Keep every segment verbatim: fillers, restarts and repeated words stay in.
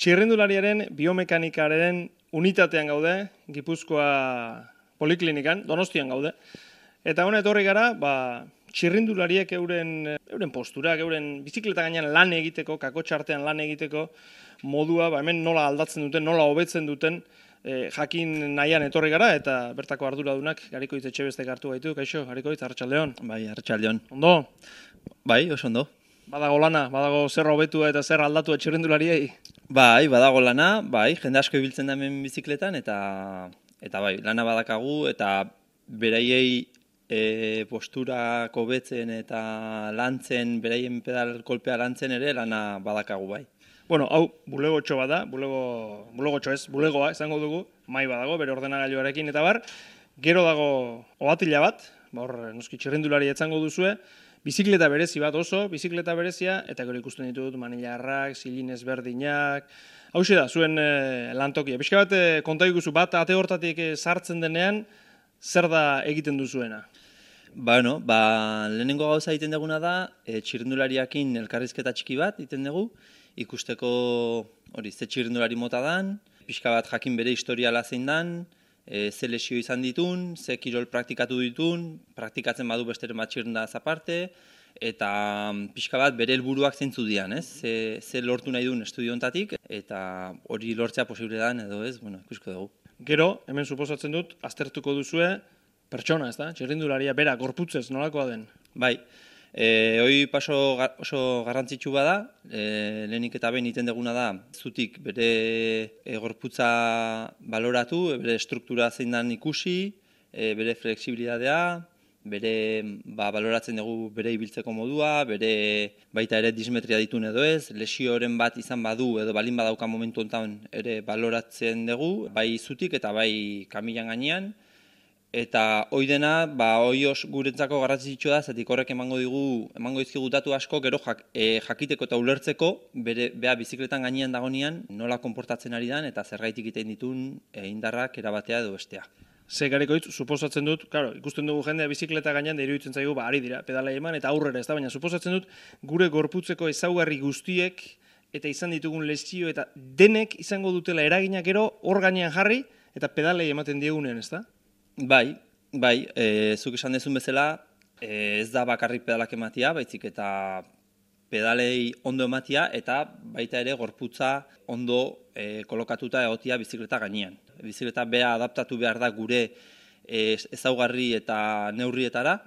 Txirrindulariaren biomekanikaren unitatean gaude, Gipuzkoa Poliklinikan, Donostian gaude. Eta hona etorri gara, ba, txirrindulariek euren, euren posturak, euren bizikleta gainean lan egiteko, kakotxartean lan egiteko modua, ba, hemen nola aldatzen duten, nola hobetzen duten, e, jakin nahian etorri gara, eta bertako arduradunak Garikoitz Etxebestek hartu gaitu. Kaixo, Garikoitz, arratsaldeon. Bai, arratsaldeon. Ondo? Bai, oso ondo. Badago lana, badago zer hobetua eta zer aldatu txirrindulariei? Bai, badago lana, bai, jende asko ibiltzen da hemen bizikletan, eta eta bai, lana badakagu, eta beraiei e, posturak hobetzen eta lantzen, beraien pedal kolpea lantzen ere lana badakagu, bai. Bueno, hau bulegotxo bada, bulego, bulegotxo ez, bulegoa izango dugu, mai badago, bere ordenagailuarekin eta bar, gero dago ohatila bat, ba hor, noski txirrindulari etzango duzue, bizikleta berezi bat oso, bizikleta berezia, eta gero ikusten ditut manilarrak, zilin ezberdinak. Hauxe da, zuen e, lantokia. Pixka bat, e, konta ikuzu bat, ate hortatik e, sartzen denean, zer da egiten duzuena? Bueno, ba, lehenengo gauza egiten duguna da, e, txirrindulariakin elkarrizketa txiki bat egiten dugu, ikusteko hori ze txirrindulari mota dan, pixka bat jakin bere historiala zein dan, E, ze lesio izan ditun, ze kirol praktikatu ditun, praktikatzen badu besteren bat txirrindulaz aparte, eta pixka bat bere helburuak zeintzu dian, ez? Ze, ze lortu nahi duen estudio honetatik, eta hori lortzea posible dan edo ez, bueno, ikusko dugu. Gero, hemen suposatzen dut, aztertuko duzue pertsona, ez da? Txirrindularia bera, gorputzez, nolakoa den? Bai. E, hoi paso oso garrantzitsu bada, e, lehenik eta behin egiten duguna da, zutik bere e, gorputza baloratu, bere struktura zein dan ikusi, e, bere flexibilitatea, bere ba, baloratzen dugu bere ibiltzeko modua, bere baita ere dismetria ditun edo ez, lesioren bat izan badu edo balin badauka momentu honetan ere baloratzen dugu, bai zutik eta bai kamilan gainean. Eta hoi dena, ba, hoi os guretzako garrantzitsu da, zetik horrek emango digu, emango dizkigu datu asko, gero jak, e, jakiteko eta ulertzeko, bere, bea bizikletan gainean dagonean, nola konportatzen ari dan, eta zergaitik egiten ditun e, indarrak erabatea edo bestea. Ze Garikoitz, suposatzen dut, claro, ikusten dugu jendea bizikleta gainean da iruditzen zaigu, ba, ari dira, pedala eman eta aurrera ez da, baina suposatzen dut, gure gorputzeko ezaugarri guztiek, eta izan ditugun lesio, eta denek izango dutela eragina gero, hor gainean jarri, eta pedalei ematen diegunean, ez da? Bai, bai, e, zuk esan dezun bezala, e, ez da bakarrik pedalak ematia, baitzik eta pedalei ondo ematia, eta baita ere gorputza ondo e, kolokatuta egotia bizikleta gainean. Bizikleta bea adaptatu behar da gure e, ezaugarri eta neurrietara,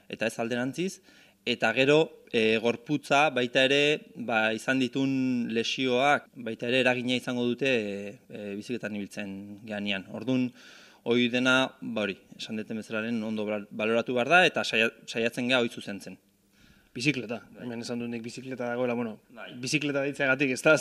eta ez alderantziz, eta gero e, gorputza baita ere ba, izan ditun lesioak, baita ere eragina izango dute e, e, bizikletan ibiltzen gainean. Orduan, hoi dena, ba hori, esan deten bezalaren ondo baloratu behar da, eta saiatzen geha hoi zuzentzen. Bizikleta, hemen esan dut nik bizikleta dagoela, bueno, bizikleta ditzeagatik ez da,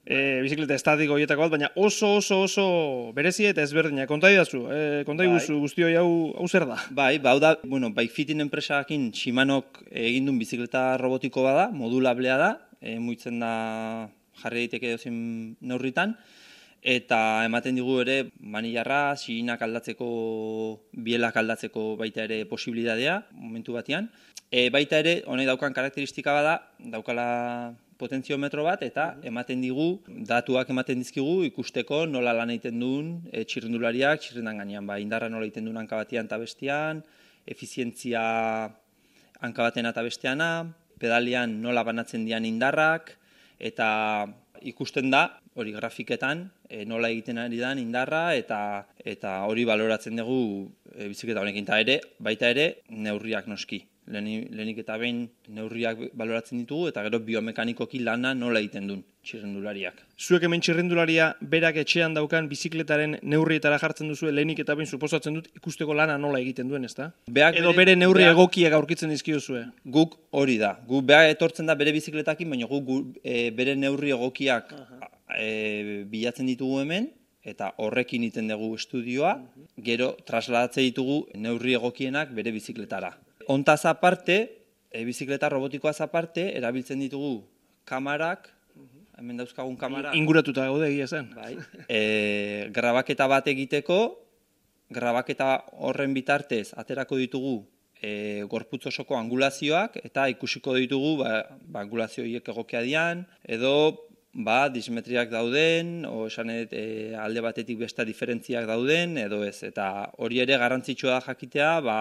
e, bizikleta estatiko horietako bat, baina oso oso oso berezia eta ezberdina. Konta idazu, e, konta iguzu guzti hori hau, hau zer da? Bai, ba hau da, bueno, Bikefitin enpresakin Shimanok egin duen bizikleta robotiko bada, modulablea da, e, muitzen da jarri daiteke dozen neurritan, eta ematen digu ere manilarra, silinak aldatzeko, bielak aldatzeko baita ere posibilitatea momentu batean. E, baita ere, honek daukan karakteristika bada, daukala potentziometro bat, eta ematen digu, datuak ematen dizkigu ikusteko nola lan egiten duen e, txirrindulariak, txirrindan gainean, ba, indarra nola egiten duen hanka batean eta bestean, efizientzia hanka batean eta besteana, pedalian nola banatzen dian indarrak, eta ikusten da, hori grafiketan, e, nola egiten ari dan indarra eta eta hori baloratzen dugu e, bizikleta honekin. Eta ere, baita ere, neurriak noski. Lehenik, lehenik eta behin neurriak baloratzen ditugu eta gero biomekanikoki lana nola egiten duen txirrindulariak. Zuek hemen txirrindularia berak etxean daukan bizikletaren neurrietara jartzen duzu, lehenik eta behin suposatzen dut ikusteko lana nola egiten duen, ezta? Beak edo bere, bere neurri beak, egokiak aurkitzen dizkiozue. Guk hori da. Guk beak etortzen da bere bizikletakin, baina guk gu, e, bere neurri egokiak e, bilatzen ditugu hemen, eta horrekin egiten dugu estudioa, gero trasladatzen ditugu neurri egokienak bere bizikletara. Hontaz aparte, e, bizikleta robotikoaz aparte, erabiltzen ditugu kamarak, hemen dauzkagun kamara. Inguratuta gaude egia zen. Bai. E, grabaketa bat egiteko, grabaketa horren bitartez aterako ditugu e, gorputz osoko angulazioak, eta ikusiko ditugu ba, ba, angulazio horiek egokia dian, edo ba, dismetriak dauden, o esan edo e, alde batetik beste diferentziak dauden, edo ez. Eta hori ere garrantzitsua da jakitea, ba,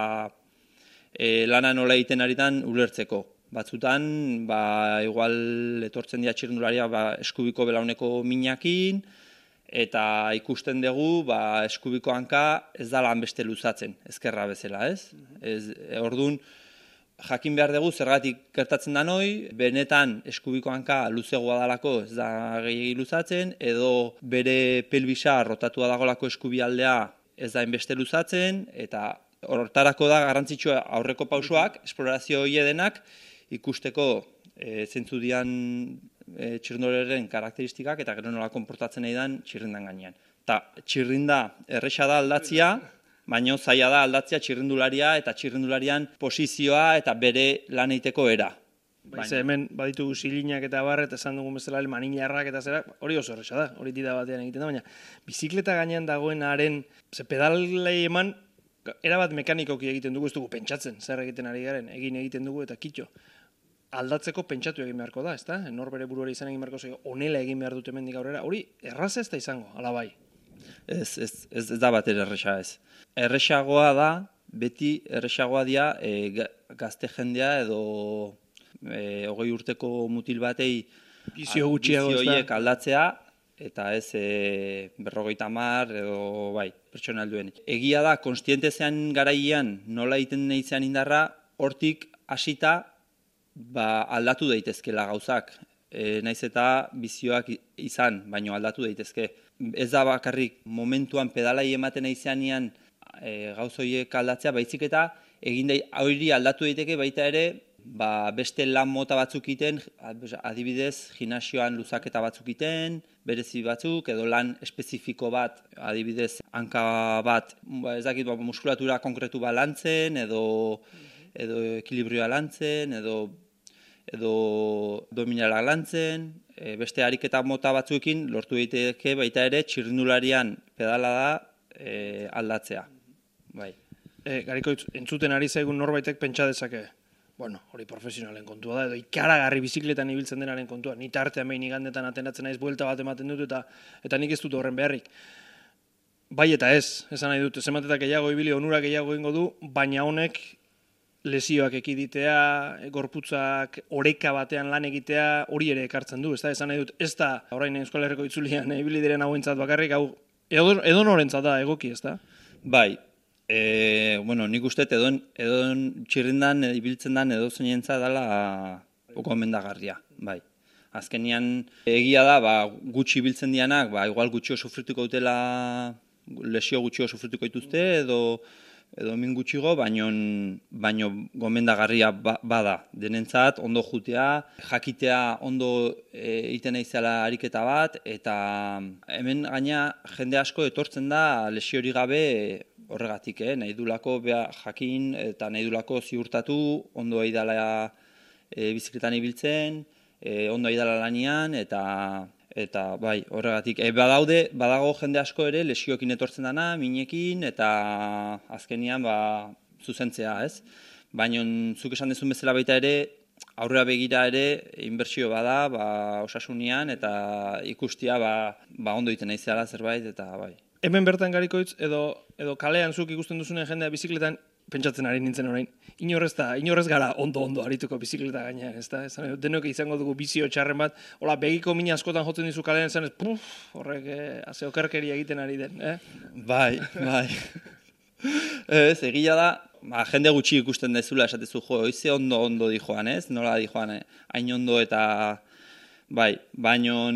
e, lana nola egiten aritan ulertzeko. Batzutan, ba, igual etortzen dira txirrindulariak ba, eskubiko belauneko minakin, eta ikusten dugu ba, eskubiko hanka ez da lan beste luzatzen, ezkerra bezala, ez? ez Orduan, jakin behar dugu zergatik gertatzen da noi, benetan eskubiko hanka luzegoa dalako ez da gehiagi luzatzen, edo bere pelbisa rotatua dagolako eskubialdea ez da enbeste luzatzen, eta hortarako da garrantzitsua aurreko pausoak, esplorazio hori denak, ikusteko e, zentzu dian e, txirrindulariaren karakteristikak eta gero nola konportatzen nahi dan txirrindan gainean. Ta txirrinda erresa da aldatzia, baina zaila da aldatzea txirrindularia eta txirrindularian posizioa eta bere lan egiteko era. Baize hemen baditugu silinak eta barret, esan dugun bezala manilarrak eta zera, hori oso erresa da, hori dida batean egiten da, baina bizikleta gainean dagoenaren, ze pedalei eman, erabat mekanikoki egiten dugu, ez dugu pentsatzen, zer egiten ari garen, egin egiten dugu eta kitxo. Aldatzeko pentsatu egin beharko da, ezta? Nor bere buruari izan egin beharko zego, onela egin behar dut hemendik aurrera, hori erraza ez da izango, ala bai. Ez, ez, ez, ez da bat erresa ez. Erresagoa da, beti erresagoa dira e, gazte jendea edo e, hogei urteko mutil batei bizio gutxiago ez da. Aldatzea, eta ez e, berrogeita hamar edo bai, pertsona helduen. Egia da, konstiente zean garaian nola egiten nahi zean indarra, hortik hasita ba, aldatu daitezkela gauzak. E, naiz eta bizioak izan, baino aldatu daitezke. Ez da bakarrik momentuan pedalai ematen nahi zeanian e, gauz horiek aldatzea, baizik eta egin da, hori aldatu daiteke baita ere, ba, beste lan mota batzuk iten, adibidez, gimnasioan luzaketa batzuk iten, berezi batzuk, edo lan espezifiko bat, adibidez, hanka bat, ba, ez dakit, ba, muskulatura konkretu bat lantzen, edo, edo ekilibrioa lantzen, edo, edo dominalak lantzen, e, beste ariketa mota batzuekin lortu daiteke baita ere txirrindularian pedala da e, aldatzea. Bai. E, Gariko, entzuten ari zaigun norbaitek pentsa dezake, bueno, hori profesionalen kontua da, edo ikaragarri bizikletan ibiltzen denaren kontua. Ni tartean behin igandetan atenatzen naiz, buelta bat ematen dut, eta eta nik ez dut horren beharrik. Bai eta ez, esan nahi dut, zematetak gehiago ibili, onurak gehiago ingo du, baina honek lesioak ekiditea, gorputzak oreka batean lan egitea, hori ere ekartzen du, ez da, esan nahi dut, ez da, orain Euskal Herriko itzulian ibili diren hauentzat bakarrik, hau, edo, edo norentzat da egoki, ez da? Bai. E, bueno, nik uste edon, edon txirrindan ibiltzen dan edo zeinentza dela gomendagarria, bai. Azkenian egia da, ba, gutxi ibiltzen dianak, ba, igual gutxio sufrituko dutela, lesio gutxio sufrituko dituzte, edo edo min gutxigo, baino, baino gomendagarria ba, bada. Denentzat, ondo jutea, jakitea ondo egiten naizela ariketa bat, eta hemen gaina jende asko etortzen da lesiori gabe horregatik, eh? Nahi dulako beha jakin eta nahi dulako ziurtatu, ondo aidala e, bizikletan ibiltzen, e, ondo aidala lanian, eta eta bai, horregatik. E, badaude, badago jende asko ere lesioekin etortzen dana, minekin, eta azkenian ba, zuzentzea, ez? Baina zuk esan dezun bezala baita ere, aurrera begira ere, inbertsio bada, ba, osasunian, eta ikustia ba, ba ondo egiten naizela zerbait, eta bai. Hemen bertan Garikoitz, edo, edo kalean zuk ikusten duzunen jendea bizikletan, pentsatzen ari nintzen orain, inorrez da, inorrez gara ondo-ondo arituko bizikleta gainean, ez da? Denok izango dugu bizio txarren bat, hola, begiko mina askotan jotzen dizu kalean zen, ez, puf, horrek, eh, ase okerkeria egiten ari den, eh? Bai, bai. Ez, egia da, ba, jende gutxi ikusten dezula esatezu, jo, oize ondo-ondo di joan, ez? Nola di joan, eh? Hain ondo eta... Bai, baino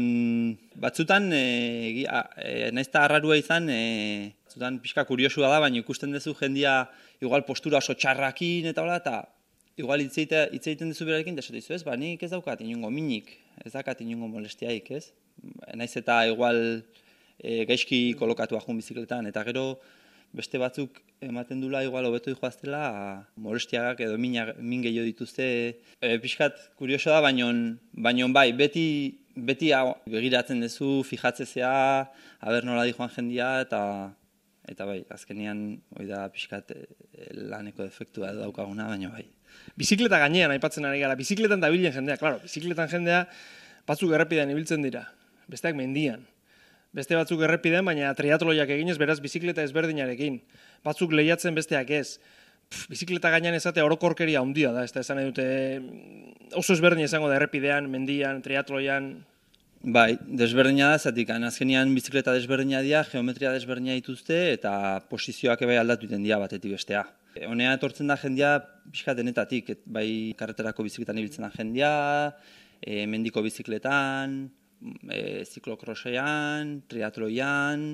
batzutan, e, e, naiz eta arrarua izan, e, batzutan pixka kuriosua da, baina ikusten duzu jendia igual postura oso txarrakin eta hola, eta igual hitz egiten duzu berarekin, eta esaten dizu, ez, ba, nik ez daukat inungo minik, ez daukat inungo molestiaik, ez? Naiz eta igual e, gaizki kolokatua jun bizikletan, eta gero beste batzuk ematen dula igual hobeto dijoaztela molestiagak edo min gehiago dituzte. E, pixkat kurioso da, baino, baino bai, beti, beti hau, begiratzen duzu, fijatzezea, aber nola dijoan jendia, eta eta bai, azkenean hori da pixkat laneko defektua daukaguna, baino bai. Bizikleta gainean aipatzen ari gara, bizikletan dabilen jendea, klaro, bizikletan jendea batzuk errepidean ibiltzen dira. besteak mendian. Beste batzuk errepidean, baina triatloiak eginez, beraz bizikleta ezberdinarekin. Batzuk lehiatzen besteak ez. Pff, bizikleta gainean ezatea orokorkeria handia da, ez da esan nahi dute oso ezberdin izango da errepidean, mendian, triatloian. Bai, desberdina da, zatik, azkenean bizikleta desberdina dira, geometria desberdina dituzte eta posizioak bai aldatu iten dira batetik bestea. Honea etortzen da jendia pixka denetatik, et, bai karreterako bizikletan ibiltzen da jendia, e, mendiko bizikletan, e, ziklokrosean, triatloian,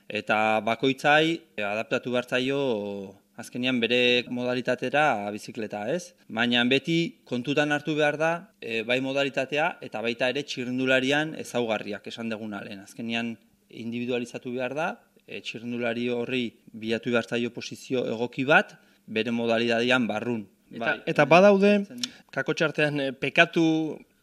eta bakoitzai e, adaptatu bertzaio azkenean bere modalitatera bizikleta, ez? Baina beti kontutan hartu behar da, e, bai modalitatea eta baita ere txirrindularian ezaugarriak esan deguna lehen. Azkenean individualizatu behar da, e, txirrindulari horri bilatu behar zaio posizio egoki bat, bere modalitatean barrun. Eta, Bai, eta badaude, kakotxartean e, pekatu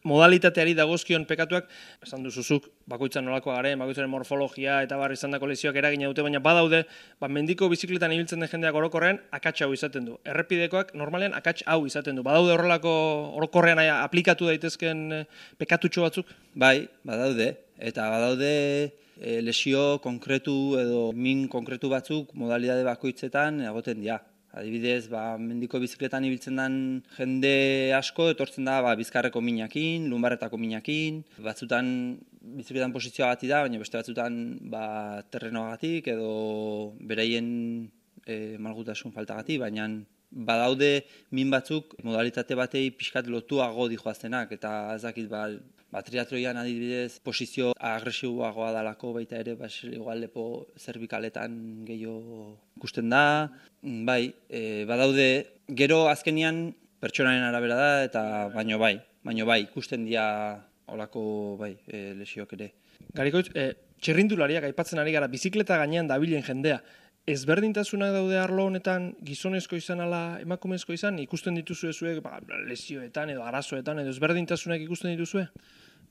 modalitateari dagozkion pekatuak, esan duzuzuk, bakoitzan nolakoa garen, bakoitzaren morfologia eta bar izandako lesioak eragina dute, baina badaude, ba, mendiko bizikletan ibiltzen den jendeak orokorrean akats hau izaten du. Errepidekoak normalean akats hau izaten du. Badaude horrelako orokorrean aplikatu daitezken pekatutxo batzuk? Bai, badaude. Eta badaude e, lesio konkretu edo min konkretu batzuk modalidade bakoitzetan egoten dira. Adibidez, ba, mendiko bizikletan ibiltzen den jende asko etortzen da ba, bizkarreko minakin, lumbarretako minakin, batzutan bizikletan posizioagatik da, baina beste batzutan ba, terrenoagatik edo beraien e, malgutasun faltagatik, baina badaude min batzuk modalitate batei pixkat lotuago dijoaztenak, eta ez dakit ba, ba, triatloian adibidez posizio agresiboagoa dalako baita ere, ba, igual lepo zerbikaletan gehiago ikusten da. Bai, e, badaude, gero azkenian pertsonaren arabera da, eta baino bai, baino bai, ikusten dira olako bai, e, lesiok ere. Garikoitz, e, txirrindulariak aipatzen ari gara, bizikleta gainean dabilen jendea, ezberdintasunak daude arlo honetan gizonezko izan ala emakumezko izan, ikusten dituzue zuek ba, lesioetan edo arazoetan edo ezberdintasunak ikusten dituzue?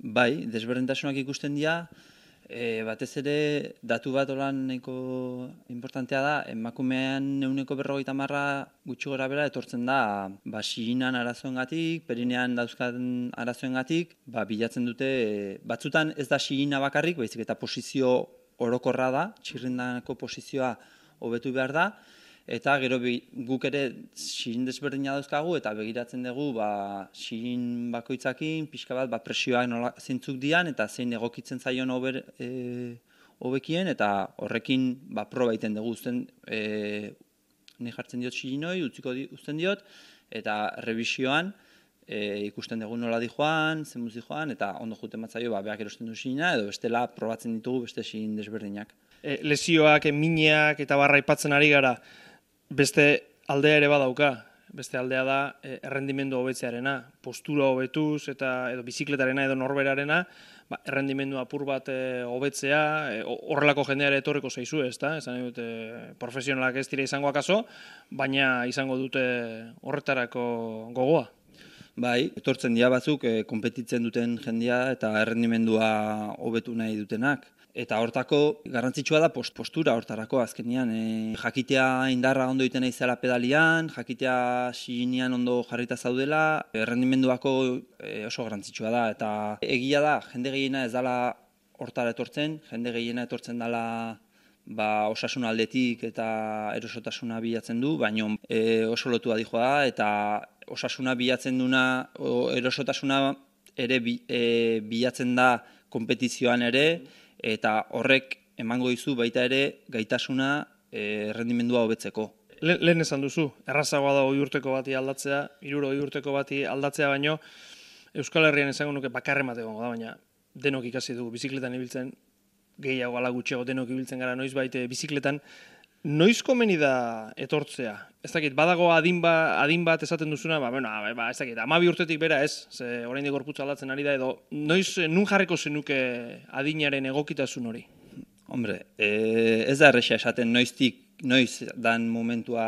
Bai, desberdintasunak ikusten dira, e, batez ere datu bat olan nahiko importantea da, emakumean ehuneko berrogeita hamarra gutxi gora bera etortzen da ba, xiginan arazoengatik, perinean dauzkan arazoengatik, ba, bilatzen dute, e, batzutan ez da xigina bakarrik, baizik eta posizio orokorra da, txirrindako posizioa hobetu behar da, eta gero be, guk ere xigin desberdina dauzkagu, eta begiratzen dugu ba, xigin bakoitzakin, pixka bat ba, presioak nola zeintzuk dian, eta zein egokitzen zaion hober, e, hobekien, eta horrekin ba, proba egiten dugu uzten, e, ni jartzen diot xiginoi, utziko di, uzten diot, eta revisioan, E, ikusten dugu nola di joan, zenbuz di joan, eta ondo juten batzaio, ba, beak erosten du xigina, edo bestela probatzen ditugu beste xigin desberdinak. E, lesioak, minak eta barra aipatzen ari gara, beste aldea ere badauka, beste aldea da e, errendimendu hobetzearena, postura hobetuz eta edo bizikletarena edo norberarena, ba, errendimendu apur bat e, hobetzea, e, horrelako jendeare etorreko zaizu, ez da? Esan dute profesionalak ez dira izango akaso, baina izango dute horretarako gogoa. Bai, etortzen dira batzuk e, konpetitzen duten jendia eta errendimendua hobetu nahi dutenak. Eta hortako garrantzitsua da post, postura hortarako azkenean. E, jakitea indarra ondo egiten naizela pedalian, jakitea xiginian ondo jarrita zaudela, errendimenduako e, oso garrantzitsua da. Eta egia da, jende gehiena ez dela hortara etortzen, jende gehiena etortzen dela ba, osasun aldetik eta erosotasuna bilatzen du, baina e, oso lotua dijoa da, eta osasuna bilatzen duna, o, erosotasuna ere bi, e, bilatzen da konpetizioan ere, eta horrek emango dizu baita ere gaitasuna e, errendimendua hobetzeko. Le, lehen esan duzu, errazagoa da hogei urteko bati aldatzea, hirurogei urteko bati aldatzea baino, Euskal Herrian esango nuke bakarren bat egongo da, baina denok ikasi dugu bizikletan ibiltzen, gehiago ala gutxiago denok ibiltzen gara noiz baite bizikletan, noiz komeni da etortzea? Ez dakit, badago adin, ba, adin bat esaten duzuna, ba, bueno, ba, ez dakit, hamabi urtetik bera ez, ze oraindik gorputza aldatzen ari da, edo noiz nun jarriko zenuke adinaren egokitasun hori? Hombre, e, ez da erresa esaten noiztik, noiz dan momentua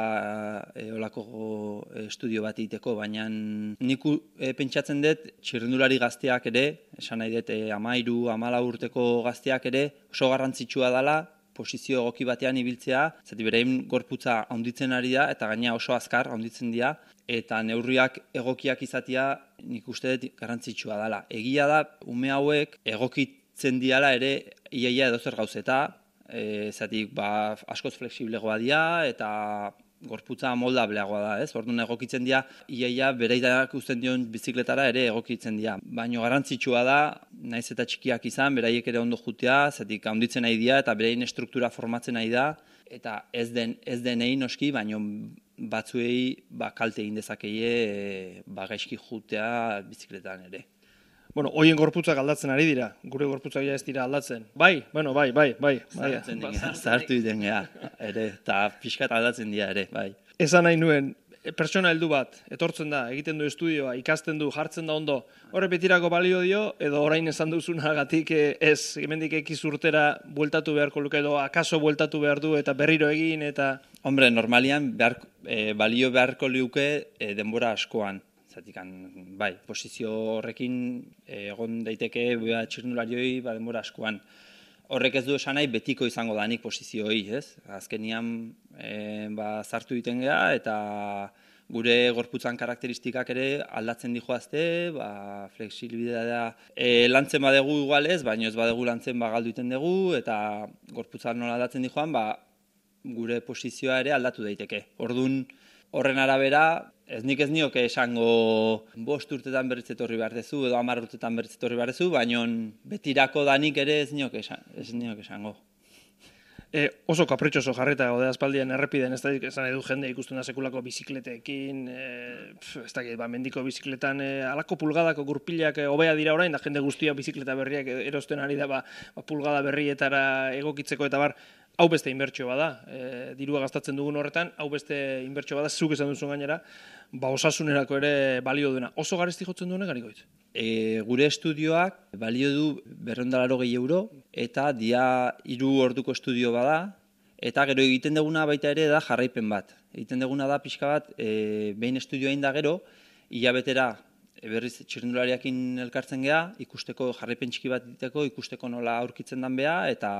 e, olako estudio bat egiteko, baina nik e, pentsatzen dut txirrindulari gazteak ere, esan nahi dut, e, amairu, amala urteko gazteak ere, oso garrantzitsua dela, posizio egoki batean ibiltzea, zati berein gorputza handitzen ari da, eta gaina oso azkar handitzen dira, eta neurriak egokiak izatea nik uste dut garrantzitsua dela. Egia da, ume hauek egokit egokitzen diala ere iaia edo zer gauzeta, e, zatik ba, askoz flexiblegoa dira eta gorputza moldableagoa da, ez? Orduan egokitzen dira, iaia bereidak uzten dion bizikletara ere egokitzen dira. Baina garrantzitsua da, naiz eta txikiak izan, beraiek ere ondo jutea, zatik handitzen nahi dira eta beraien estruktura formatzen nahi da, eta ez den ez denei noski, baino batzuei ba, kalte egin dezakeie e, ba, gaizki jutea bizikletan ere. Bueno, hoien gorputzak aldatzen ari dira, gure gorputzak ja ez dira aldatzen. Bai, bueno, bai, bai, bai. Zahartzen den geha, zahartu diten geha, ere, eta pixkat aldatzen dira ere, bai. Esan nahi nuen, pertsona heldu bat, etortzen da, egiten du estudioa, ikasten du, jartzen da ondo, horre betirako balio dio, edo orain esan duzunagatik ez, hemendik ekiz urtera bueltatu beharko luke, edo akaso bueltatu behar du, eta berriro egin, eta... Hombre, normalian behar, e, balio beharko liuke e, denbora askoan. Zatikan, bai, posizio horrekin egon daiteke bea txirrindularioi ba, denbora askoan. Horrek ez du esan nahi betiko izango danik posizioi, ez? Azkenian e, ba, zartu egiten geha eta gure gorputzan karakteristikak ere aldatzen dijoazte, ba, flexibilitatea e, lantzen badegu igualez, baina ez badegu lantzen ba, galdu egiten dugu eta gorputzan nola aldatzen dijoan, ba, gure posizioa ere aldatu daiteke. Orduan, horren arabera, ez nik ez nioke esango bost urtetan berriz etorri behar dezu, edo hamar urtetan berriz etorri behar dezu, baina betirako danik ere ez nioke, esan, ez nioke esango. E, oso kapritxoso jarrita gaude aspaldian errepiden, ez da esan edu jende ikusten da sekulako bizikleteekin, e, ez da, ba, mendiko bizikletan e, alako pulgadako gurpilak e, hobea dira orain, da jende guztia bizikleta berriak erosten ari da ba, ba, pulgada berrietara egokitzeko eta bar, hau beste inbertsio bada, e, dirua gastatzen dugun horretan, hau beste inbertsio bada, zuk esan duzun gainera, ba, osasunerako ere balio duena. Oso garesti jotzen duenek, Garikoitz? E, gure estudioak balio du berrehun eta laurogei euro, eta dia hiru orduko estudio bada, eta gero egiten duguna baita ere da jarraipen bat. Egiten duguna da pixka bat, e, behin estudioa egin da gero, hilabetera berriz txirrindulariakin elkartzen geha, ikusteko jarraipen txiki bat diteko, ikusteko nola aurkitzen dan beha, eta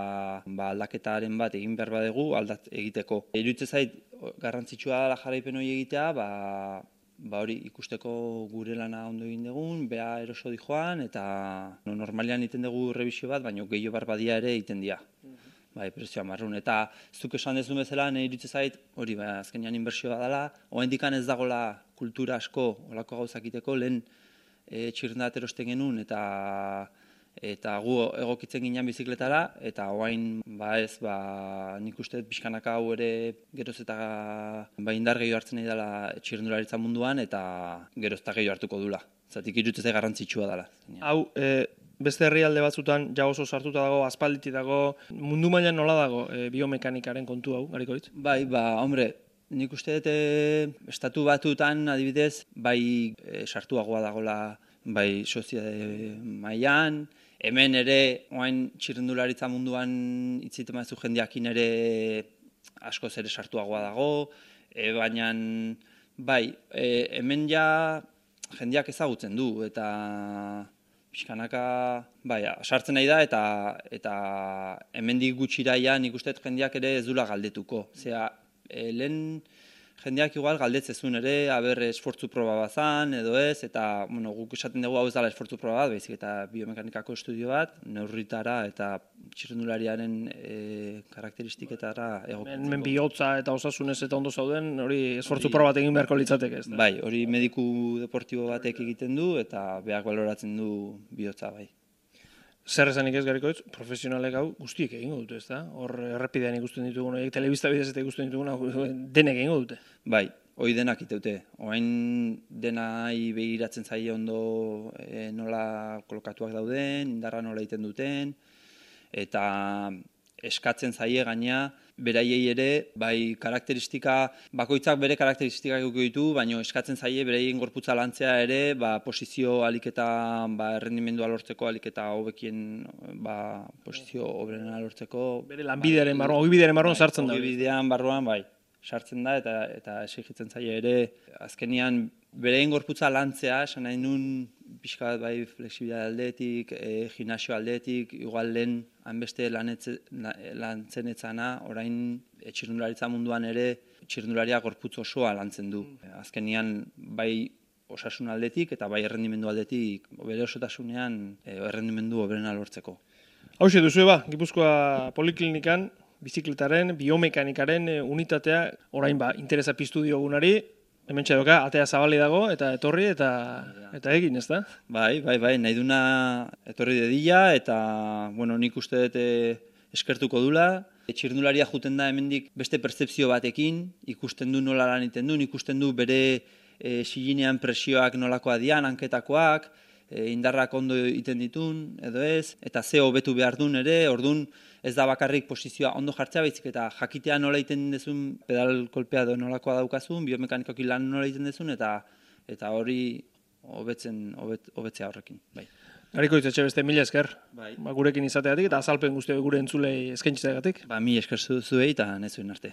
ba, aldaketaren bat egin behar badegu aldat egiteko. Iruditzen zait, garrantzitsua dela jarraipen hori egitea, ba, ba hori ikusteko gure lana ondo egin dugun, beha eroso di joan, eta no, normalian egiten dugu revisio bat, baina gehiago behar badia ere egiten dira. Bai, prezioa marrun. Eta zuk esan dezun bezala, nahi iruditzen zait, hori, ba, azkenean inbertsioa dela, oraindikan ez dagoela kultura asko, olako gauzak egiteko, lehen e, txirrenda bat erosten genuen, eta eta gu egokitzen ginen bizikletara, eta orain ba ez, ba, nik uste pixkanaka hau ere geroz eta ba, indar gehiago hartzen nahi dela txirrendularitza munduan, eta geroz eta gehiago hartuko dula. Zatik iruditzen zait garrantzitsua dela. Hau, e, beste herrialde batzutan ja oso sartuta dago, aspalditi dago, mundu mailan nola dago e, biomekanikaren kontu hau, Garikoitz? Bai, ba, hombre, nik uste dut e, estatu batutan adibidez, bai e, sartuagoa dagola, bai soziade mailan, hemen ere, oain txirrendularitza munduan itziten mazu jendeakin ere askoz ere sartuagoa dago, e, baina bai, e, hemen ja jendeak ezagutzen du, eta pixkanaka, bai, sartzen nahi da, eta eta hemendik gutxiraia nik uste jendeak ere ez dula galdetuko. Zera, e, lehen jendeak igual galdetzezun ere, aber esfortzu proba bazan, edo ez, eta bueno, guk esaten dugu hau ez dela esfortzu proba bat, baizik eta biomekanikako estudio bat, neurritara eta txirrendulariaren e, karakteristiketara egokitzeko. Men bihotza eta osasunez eta ondo zauden, hori esfortzu proba bat egin beharko litzateke, ez da? Bai, hori mediku deportibo batek egiten du, eta beak baloratzen du bihotza, bai. Zer esanik ez, Garikoitz, profesionalek hau guztiek egingo dute, ez da? Hor errepidean ikusten ditugun, telebista bidez eta ikusten ditugun, denek egingo dute. Bai, hori denak iteute. Oain denai begiratzen zaie ondo e, nola kolokatuak dauden, indarra nola egiten duten, eta eskatzen zaie gaina beraiei ere, bai karakteristika, bakoitzak bere karakteristikak eduki ditu, baina eskatzen zaie beraien gorputza lantzea ere, ba, posizio aliketa, ba, errendimendua lortzeko, aliketa hobekien, ba, posizio hoberena lortzeko. Bere lanbidearen barruan, ogibidearen barruan sartzen da. Ogibidean barruan, bai, sartzen da, eta eta exigitzen zaie ere, azkenian beraien gorputza lantzea, esan nahi nun, pixka bat bai flexibilitate aldetik, e, gimnasio aldetik, igual lehen hainbeste lantzen etzana, orain e, txirrendularitza munduan ere txirrendularia gorputz osoa lantzen du. Azkenian bai osasun aldetik eta bai errendimendu aldetik bere osotasunean e, errendimendu hoberena lortzeko. Hauxe duzu ba, Gipuzkoa Poliklinikan, bizikletaren, biomekanikaren e, unitatea, orain ba, interesa piztu diogunari, hemen txadoka, atea zabali dago, eta etorri, eta eta egin, ez da? Bai, bai, bai, nahi duna etorri dedila, eta, bueno, nik uste dut eh, eskertuko dula. Txirrindularia juten da hemendik beste pertzepzio batekin, ikusten du nola lan egiten du, ikusten du bere e, silinean presioak nolakoa dian, hanketakoak, e, indarrak ondo egiten ditun, edo ez, eta ze hobetu behar duen ere, ordun ez da bakarrik posizioa ondo jartzea, baizik eta jakitea nola egiten dezun, pedal kolpea edo nolakoa daukazun, biomekanikoki lan nola egiten dezun, eta eta hori hobetzen hobet, hobetzea horrekin, bai. Gariko itzetxe beste mila esker, Bai. ba, gurekin izateagatik eta azalpen guzti gure entzulei eskaintziteagatik. Ba, mi esker zuei eta nezuen arte.